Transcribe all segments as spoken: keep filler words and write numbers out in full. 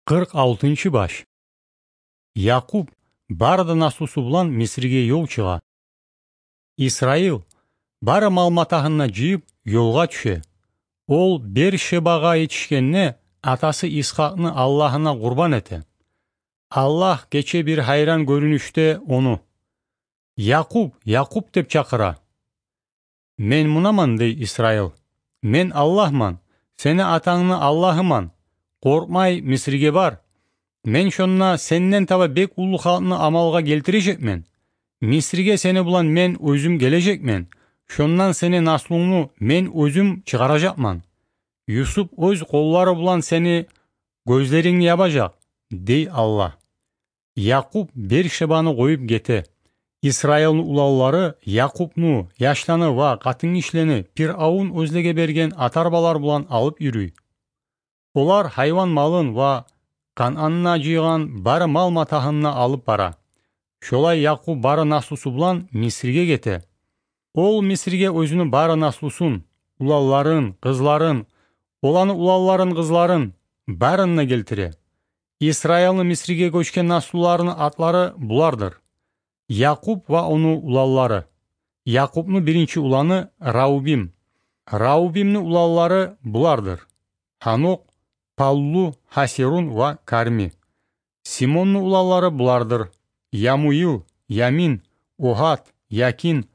Къыркъ алтынчы баш. Якъуб бары да наслусу булан Мисрге ёл чыгъа. Исраил бары мал-матагьын да жыйып, ёлгъа тюше. Ол Бер-Шебагъа етишгенде, атасы Исхакъны Аллагьына къурбан эте. Аллагь гече бир гьайран гёрюнюшде ону: «Якъуб, Якъуб!» — деп чакъыра. «Мен мунаман, — дей Исраил. — Мен Аллагьман, сени атангны Аллагьыман. Къоркъмай, Мисрге бар. Мен шонда сенден таба бек уллу халкъны амалгъа гелтирежекмен. Мисрге сени булан мен оьзюм гележекмен. Шондан сени наслунгну мен оьзюм чыгъаражакъман. Юсуп оьз къоллары булан сени гёзлерингни ябажакъ», — дей Аллагь. Якъуб Бер-Шебаны къоюп гете. Исраилни уланлары Якъубну, яшланы ва къатынгишилени Пиръавун оьзлеге берген атарбалар булан алып юрюй. Олар гьайван малын ва Канъанда жыйгъан бары мал-матагьын да алып бара. Шолай Якъуб бары наслусу булан Мисрге гете. Ол Мисрге оьзюню бары наслусун, уланларын, къызларын, оланы уланларын, къызларын, барын да гелтире. Исраилни Мисрге гёчген наслуларыны атлары булардыр: Якъуб ва ону уланлары. Якъубну биринчи уланы Раубим. Раубимни уланлары булардыр: Гьанокъ, Паллу, Гьасирун ва Карми. Симонну уланлары булардыр: Ямуил, Ямин, Огьад, Якин,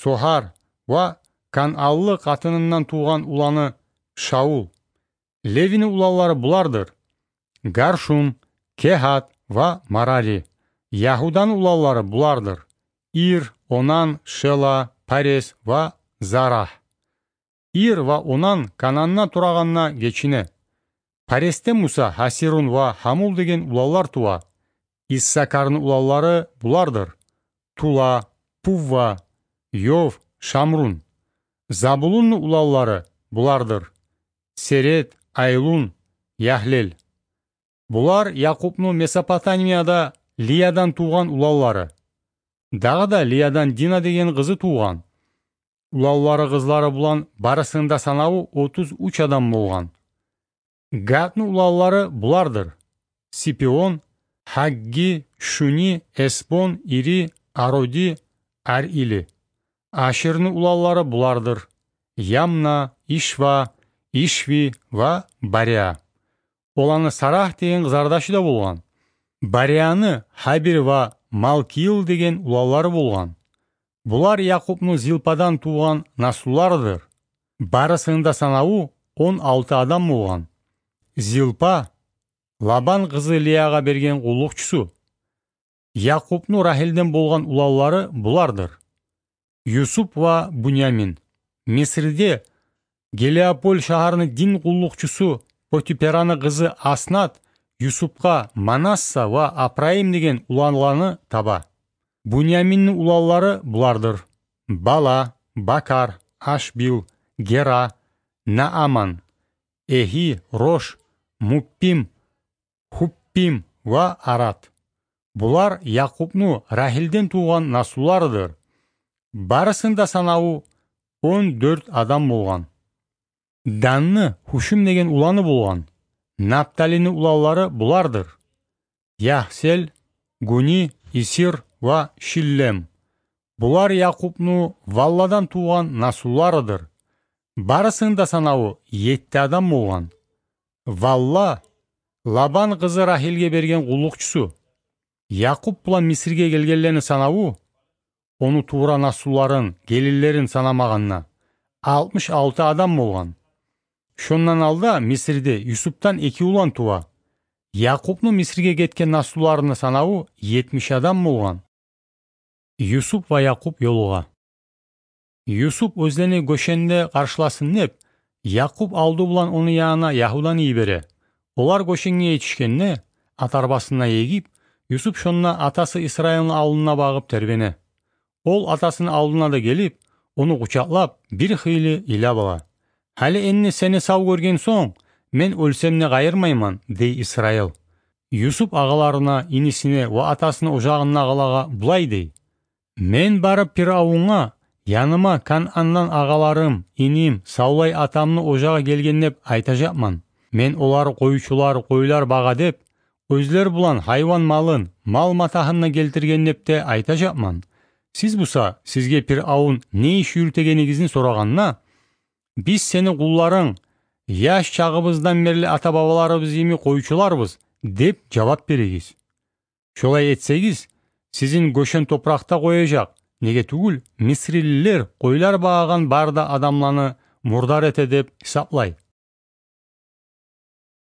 Согьар ва канъанлы къатынындан тувгъан уланы Шаул. Левини уланлары булардыр: Гаршум, Кегьат ва Марари. Ягьуданы уланлары булардыр: Ир, Онан, Шела, Парес ва Зарагь. Ир ва Онан Канъанда турагъанда гечине. Паресден буса Гьасирун ва Гьамул деген уланлар тува. Иссакарны уланлары булардыр: Тула, Пувва, Йов, Шамрун. Забулунну уланлары булардыр: Серед, Айлун, Ягьлел. Булар Якъубну Месопотамияда Лиядан тувгъан уланлары. Дагъы да Лиядан Дина деген къызы тувгъан. Уланлары, къызлары булан барысыны да санаву отуз уьч адам болгъан. Гадны уланлары булардыр: Сипион, Гьагги, Шуни, Эсбон, Ири, Ароди, Арили. Аширни уланлары булардыр: Ямна, Ишва, Ишви ва Бария. Оланы Сарагь деген къызардашы да болгъан. Барияны Гьабир ва Малкиил деген уланлары болгъан. Булар Якъубну Зилпадан тувгъан наслуларыдыр. Барысыны да санаву он алты адам болгъан. Зилпа Лабан къызы Лиягъа берген къуллукъчусу. Якъубну Рагьилден болгъан уланлары булардыр: Юсуп ва Бунямин. Мисрде Гелиополь шагьарны дин къуллукъчусу Потипераны къызы Аснат Юсупгъа Манасса ва Апрайым деген уланланы таба. Буняминни уланлары булардыр: Бала, Бакар, Ашбил, Гера, Нааман, Эгьи, Рош, Муппим, Гьуппим ва Арад. Булар Якъубну Рагьилден тувгъан наслуларыдыр. Барысыны да санаву он дёрт адам болгъан. Данны Гьушим деген уланы болгъан. Напталини уланлары булардыр: Ягьсел, Гуни, Исир ва Шиллем. Булар Якъубну Валладан тувгъан наслуларыдыр. Барысыны да санаву етти адам болгъан. Валла Лабан къызы Рагьилге берген къуллукъчусу. Якъуб булан Мисрге гелгенлени санаву, ону тувра наслуларын, гелинлерин санамагъанда, алтмыш алты адам болгъан. Шондан алда Мисрде Юсупдан эки улан тува. Якъубну Мисрге гетген наслуларыны санаву етмиш адам болгъан. Юсуп ва Якъуб ёлугъа. Юсуп оьзлени Гошенде къаршыласын деп, Якъуб алды булан ону янына Ягьуданы йибере. Олар Гошенге етишгенде, ат арбасына егип, Юсуп шонда атасы Исраилни алдына багъып тербене. Ол атасыны алдына да гелип, ону къучакълап, бир хыйлы йылап ала. «Гьали энни сени сав гёрген сонг, мен оьлсем де къайырмайман», — дей Исраил. Юсуп агъаларына, инисине ва атасыны ожагъындагъылагъа булай дей: «Мен барып Пиръавунгъа, яныма Канъандан агъаларым, иним, савлай атамны ожагъы гелген деп айтажакъман. Мен олар къойчулар, къойлар багъа деп, оьзлер булан гьайван малын, мал матагьын да гелтирген деп де айтажакъман. Сиз буса, сизге Пиръавун не иш юрютегенигизни сорагъанда: «Биз сени къулларынг, яш чагъыбыздан берли ата-бабаларыбыз йимик къойчуларбыз», — деп жавап беригиз. Шолай этсегиз, сизин гёшен топуракъда къояжакъ, неге тюгюл мисрилилер къойлар багъагъан бары да адамланы мурдар эте деп гьисаплай.